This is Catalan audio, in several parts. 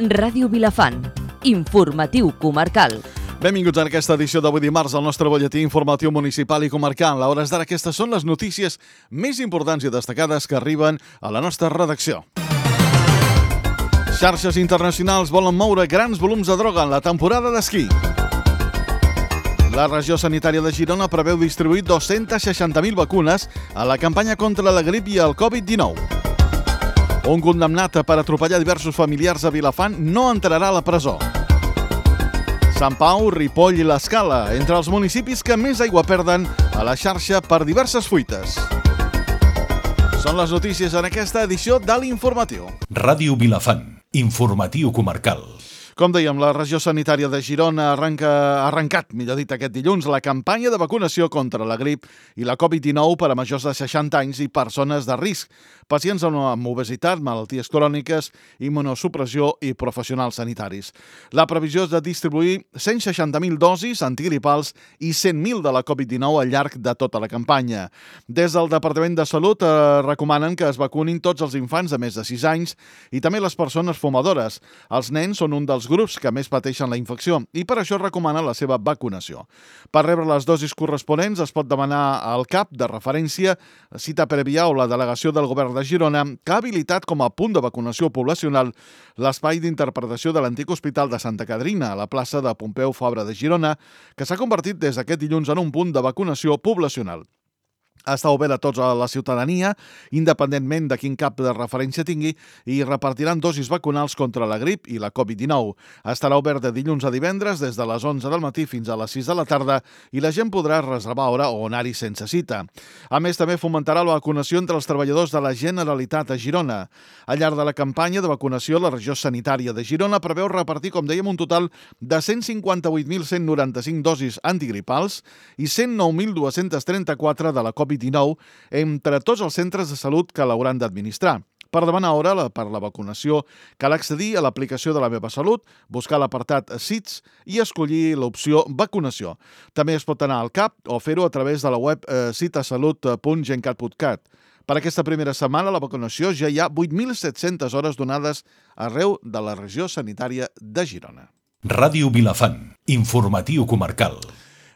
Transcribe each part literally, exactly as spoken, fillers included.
Ràdio Vilafant, informatiu comarcal. Benvinguts a aquesta edició d'avui dimarts al nostre butlletí informatiu municipal i comarcal. A hores d'ara aquestes són les notícies més importants i destacades que arriben a la nostra redacció. Xarxes internacionals volen moure grans volums de droga en la temporada d'esquí. La regió sanitària de Girona preveu distribuir dos-centes seixanta mil vacunes a la campanya contra la grip i el covid dinou. Un condemnat per atropellar diversos familiars a Vilafant no entrarà a la presó. Sant Pau, Ripoll i l'Escala, entre els municipis que més aigua perden a la xarxa per diverses fuites. Són les notícies en aquesta edició de l'Informatiu. Ràdio Vilafant, informatiu comarcal. Com dèiem, la regió sanitària de Girona arranca, ha arrencat, millor dit, aquest dilluns, la campanya de vacunació contra la grip i la covid dinou per a majors de seixanta anys i persones de risc, pacients amb obesitat, malalties cròniques, immunosupressió i professionals sanitaris. La previsió és de distribuir cent seixanta mil dosis antigripals i cent mil de la covid dinou al llarg de tota la campanya. Des del Departament de Salut eh, recomanen que es vacunin tots els infants de més de sis anys i també les persones fumadores. Els nens són un dels grups que més pateixen la infecció i per això recomana la seva vacunació. Per rebre les dosis corresponents es pot demanar al C A P de referència, cita prèvia o la delegació del govern de Girona, que ha habilitat com a punt de vacunació poblacional l'espai d'interpretació de l'antic Hospital de Santa Caterina, a la plaça de Pompeu Fabra de Girona, que s'ha convertit des d'aquest dilluns en un punt de vacunació poblacional. Està obert a tota la ciutadania, independentment de quin cap de referència tingui, i repartiran dosis vacunals contra la grip i la covid dinou. Estarà obert de dilluns a divendres des de les onze del matí fins a les sis de la tarda i la gent podrà reservar hora o anar-hi sense cita. A més, també fomentarà la vacunació entre els treballadors de la Generalitat a Girona. Al llarg de la campanya de vacunació, la regió sanitària de Girona preveu repartir, com dèiem, un total de cent cinquanta-vuit mil cent noranta-cinc dosis antigripals i cent nou mil dos-cents trenta-quatre de la covid dinou entre tots els centres de salut que l'hauran d'administrar. Per demanar hora per la vacunació cal accedir a l'aplicació de La Meva Salut, buscar l'apartat S I T S i escollir l'opció vacunació. També es pot anar al C A P o fer-ho a través de la web eh, citasalut punt gencat punt cat. Per aquesta primera setmana a la vacunació ja hi ha vuit mil set-centes hores donades arreu de la regió sanitària de Girona. Ràdio Vilafant, informatiu comarcal.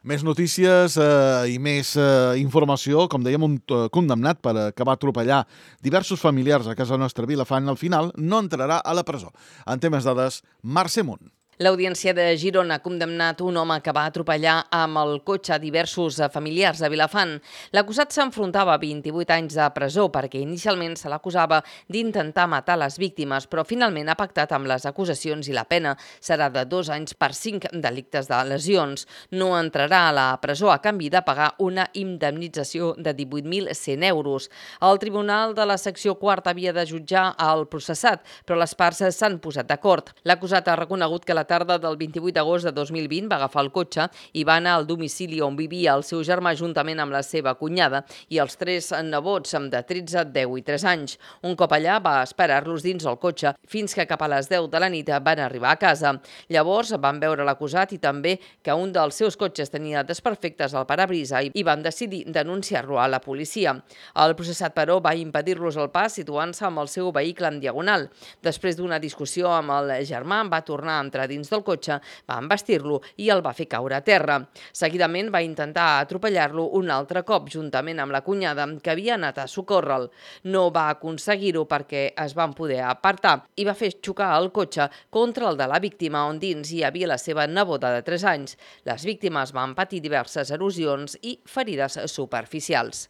Més notícies eh, i més eh, informació. Com dèiem, un eh, condemnat per eh, que va atropellar diversos familiars a casa nostra Vilafant, al final no entrarà a la presó. En temes dades, Mercè Munt. L'Audiència de Girona ha condemnat un home que va atropellar amb el cotxe diversos familiars a Vilafant. L'acusat s'enfrontava a vint-i-vuit anys de presó perquè inicialment se l'acusava d'intentar matar les víctimes, però finalment ha pactat amb les acusacions i la pena serà de dos anys per cinc delictes de lesions. No entrarà a la presó a canvi de pagar una indemnització de divuit mil cent euros. El Tribunal de la Secció Quarta havia de jutjar el processat, però les parts s'han posat d'acord. L'acusat ha reconegut que la tarda del vint-i-vuit d'agost de dos mil vint va agafar el cotxe i va anar al domicili on vivia el seu germà juntament amb la seva cunyada i els tres nebots de tretze, deu i tres anys. Un cop allà va esperar-los dins el cotxe fins que cap a les deu de la nit van arribar a casa. Llavors van veure l'acusat i també que un dels seus cotxes tenia desperfectes al parabrisa i van decidir denunciar-lo a la policia. El processat, però, va impedir-los el pas situant-se amb el seu vehicle en diagonal. Després d'una discussió amb el germà, va tornar a entrar dins del cotxe, va embestir-lo i el va fer caure a terra. Seguidament va intentar atropellar-lo un altre cop juntament amb la cunyada que havia anat a socórrer-lo. No va aconseguir-ho perquè es van poder apartar i va fer xocar el cotxe contra el de la víctima on dins hi havia la seva neboda de tres anys. Les víctimes van patir diverses erosions i ferides superficials.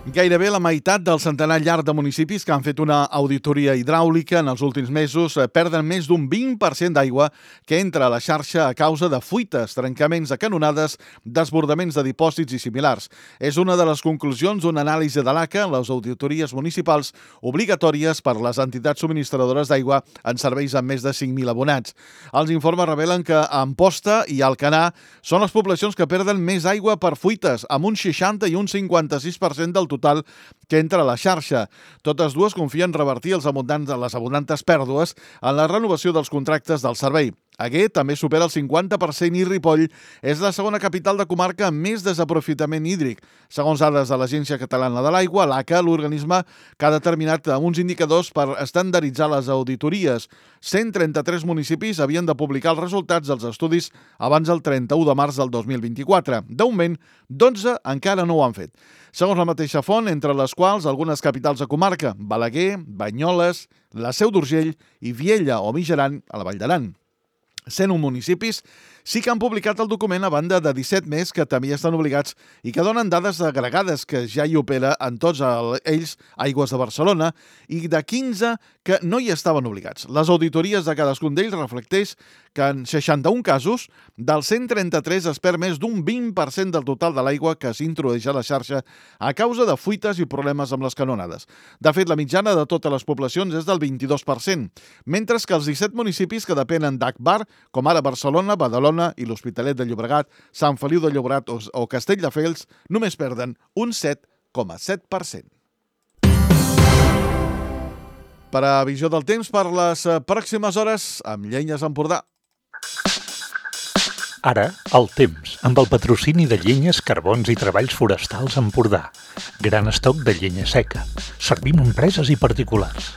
Gairebé la meitat del centenar llarg de municipis que han fet una auditoria hidràulica en els últims mesos perden més d'un vint per cent d'aigua que entra a la xarxa a causa de fuites, trencaments de canonades, desbordaments de dipòsits i similars. És una de les conclusions d'una anàlisi de l'A C A en les auditories municipals obligatòries per les entitats subministradores d'aigua en serveis amb més de cinc mil abonats. Els informes revelen que Amposta i Alcanar són les poblacions que perden més aigua per fuites, amb un seixanta i un cinquanta-sis per cent del total que entra a la xarxa. Totes dues confien revertir els abundants, les abundantes pèrdues en la renovació dels contractes del servei. Aguer també supera el cinquanta per cent i Ripoll és la segona capital de comarca amb més desaprofitament hídric. Segons dades de l'Agència Catalana de l'Aigua, l'A C A, l'organisme que ha determinat uns indicadors per estandarditzar les auditories. cent trenta-tres municipis havien de publicar els resultats dels estudis abans del trenta-u de març del dos mil vint-i-quatre. De moment, dotze encara no ho han fet. Segons la mateixa font, entre les quals algunes capitals de comarca, Balaguer, Banyoles, la Seu d'Urgell i Viella o Mijaran, a la Vall d'Aran. cent un municipis sí que han publicat el document a banda de disset més que també estan obligats i que donen dades agregades que ja hi opera en tots ells Aigües de Barcelona i de quinze que no hi estaven obligats. Les auditories de cadascun d'ells reflecteix que en seixanta-un casos, dels cent trenta-tres es perd més d'un vint per cent del total de l'aigua que s'introdueix a la xarxa a causa de fuites i problemes amb les canonades. De fet, la mitjana de totes les poblacions és del vint-i-dos per cent, mentre que els disset municipis que depenen d'A C B A R, com ara Barcelona, Badalona i l'Hospitalet de Llobregat, Sant Feliu de Llobregat o Castelldefels, només perden un set coma set per cent. Per a visió del temps per les pròximes hores, amb Llenyes Empordà. Ara, el temps, amb el patrocini de Llenyes, Carbons i Treballs Forestals Empordà. Gran estoc de llenya seca. Servim empreses i particulars.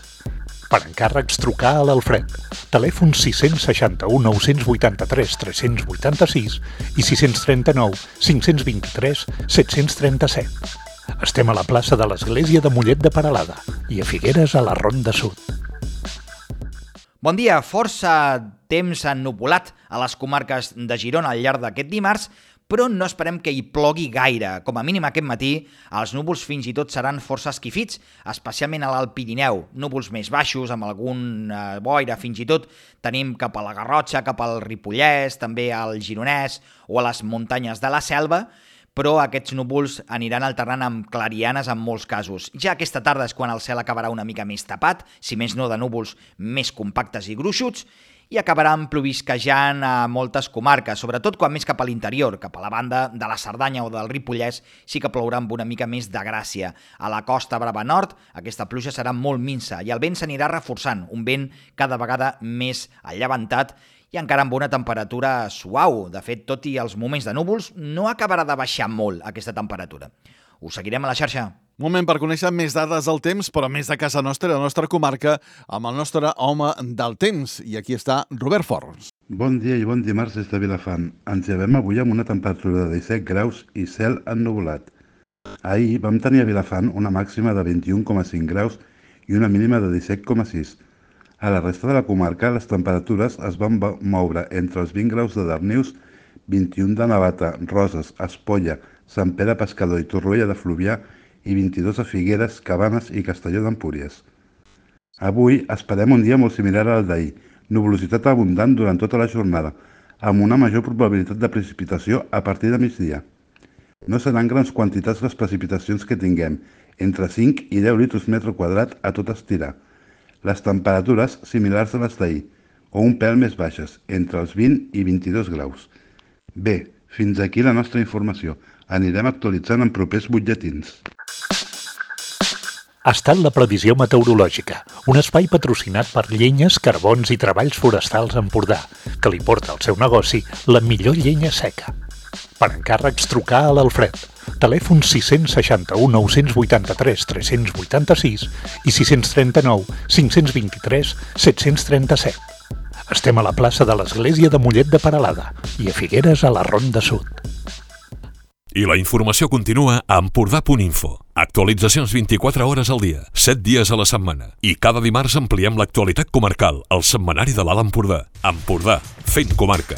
Per encàrrecs, trucar a l'Alfred. Telèfon sis seixanta-u, nou vuitanta-tres, tres vuitanta-sis i sis trenta-nou, cinc vint-i-tres, set trenta-set. Estem a la plaça de l'Església de Mollet de Peralada i a Figueres, a la Ronda Sud. Bon dia, força temps ennuvolat a les comarques de Girona al llarg d'aquest dimarts, però no esperem que hi plogui gaire. Com a mínim aquest matí, els núvols fins i tot seran força esquifits, especialment a l'Alt Pirineu. Núvols més baixos, amb algun eh, boira, fins i tot tenim cap a la Garrotxa, cap al Ripollès, també al Gironès o a les muntanyes de la Selva, però aquests núvols aniran alternant amb clarianes en molts casos. Ja aquesta tarda és quan el cel acabarà una mica més tapat, si més no de núvols més compactes i gruixuts, i acabaran plovisquejant a moltes comarques, sobretot quan més cap a l'interior, cap a la banda de la Cerdanya o del Ripollès, sí que plourà amb una mica més de gràcia. A la Costa Brava Nord aquesta pluja serà molt minsa i el vent s'anirà reforçant, un vent cada vegada més allevantat i encara amb una temperatura suau. De fet, tot i els moments de núvols, no acabarà de baixar molt aquesta temperatura. Us seguirem a la xarxa. Moment per conèixer més dades del temps, però més de casa nostra, de la nostra comarca, amb el nostre home del temps. I aquí està Robert Forns. Bon dia i bon dimarts des de Vilafant. Ens llevem avui amb una temperatura de disset graus i cel ennuvolat. Ahir vam tenir a Vilafant una màxima de vint-i-un coma cinc graus i una mínima de disset coma sis. A la resta de la comarca, les temperatures es van moure entre els vint graus de Darnius, vint-i-un de Navata, Roses, Espolla, Sant Pere Pescador i Torroella de Fluvià i vint-i-dos a Figueres, Cabanes i Castelló d'Empúries. Avui esperem un dia molt similar al d'ahir, nuvolositat abundant durant tota la jornada, amb una major probabilitat de precipitació a partir de migdia. No seran grans quantitats les precipitacions que tinguem, entre cinc i deu litres metre quadrat a tot estirar. Les temperatures similars a les d'ahir, o un pèl més baixes, entre els vint i vint-i-dos graus. Bé, fins aquí la nostra informació. Anirem actualitzant en propers butlletins. Ha estat la previsió meteorològica, un espai patrocinat per Llenyes, Carbons i Treballs Forestals Empordà, que li porta al seu negoci la millor llenya seca. Per encàrrecs, trucar a l'Alfred. Telèfon sis seixanta-u, nou vuitanta-tres, tres vuitanta-sis i sis trenta-nou, cinc vint-i-tres, set trenta-set. Estem a la plaça de l'Església de Mollet de Peralada i a Figueres, a la Ronda Sud. I la informació continua a empordà punt info. Actualitzacions vint-i-quatre hores al dia, set dies a la setmana. I cada dimarts ampliem l'actualitat comarcal al setmanari de l'Alt Empordà. Empordà, fent comarca.